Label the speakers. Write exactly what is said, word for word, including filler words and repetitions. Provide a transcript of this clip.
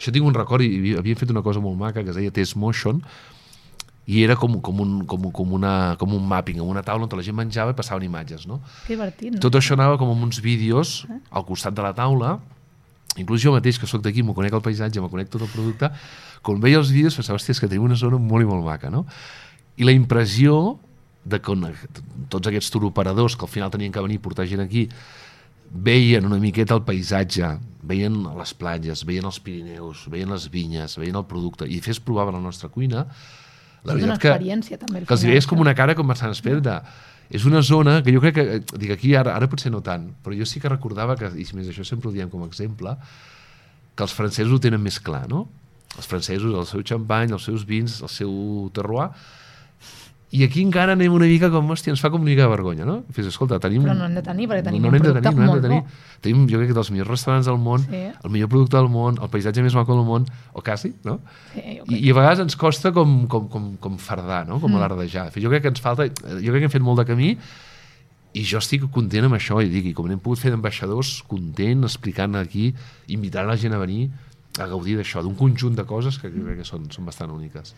Speaker 1: Això tinc un record, i havien fet una cosa molt maca que es deia Test Motion, i era com, com, un, com, com, una, com un mapping, amb una taula on la gent menjava i passaven imatges, no?
Speaker 2: Que divertit, no?
Speaker 1: Tot això anava com amb uns vídeos al costat de la taula, inclús jo mateix, que sóc d'aquí, m'ho conec el paisatge, m'ho conec tot el producte, quan veia els vídeos pensava, hòstia, és que tenim una zona molt i molt maca, no? I la impressió de que tots aquests turoperadors que al final tenien que venir a portar gent aquí veien una miqueta el paisatge, veien les platges, veien els Pirineus, veien les vinyes, veien el producte, i fes provar la nostra cuina, la veritat que,
Speaker 2: també,
Speaker 1: que els veies com una cara com bastant esperta. És una zona que jo crec que, dic aquí ara, ara potser no tant, però jo sí que recordava que, i més això sempre ho diem com a exemple, que els francesos ho tenen més clar, no? Els francesos, el seu xampany, els seus vins, el seu terroir, i aquí encara anem una mica com, hòstia, ens fa com una mica de vergonya, no? Fes, escolta, tenim...
Speaker 2: Però no hem de tenir, perquè tenim
Speaker 1: no
Speaker 2: un producte
Speaker 1: tenir, no
Speaker 2: molt
Speaker 1: tenir.
Speaker 2: bo.
Speaker 1: Tenim, jo crec que dels millors restaurants del món, sí. El millor producte del món, el paisatge més maco del món, o quasi, no?
Speaker 2: Sí,
Speaker 1: I, I a vegades ens costa com, com, com, com fardar, no? Com mm. alardejar. Jo crec que ens falta... Jo crec que hem fet molt de camí i jo estic content amb això, i dic, i com n'hem pogut fer d'ambaixadors, content, explicant aquí, invitant la gent a venir a gaudir d'això, d'un conjunt de coses que crec que són, són bastant úniques.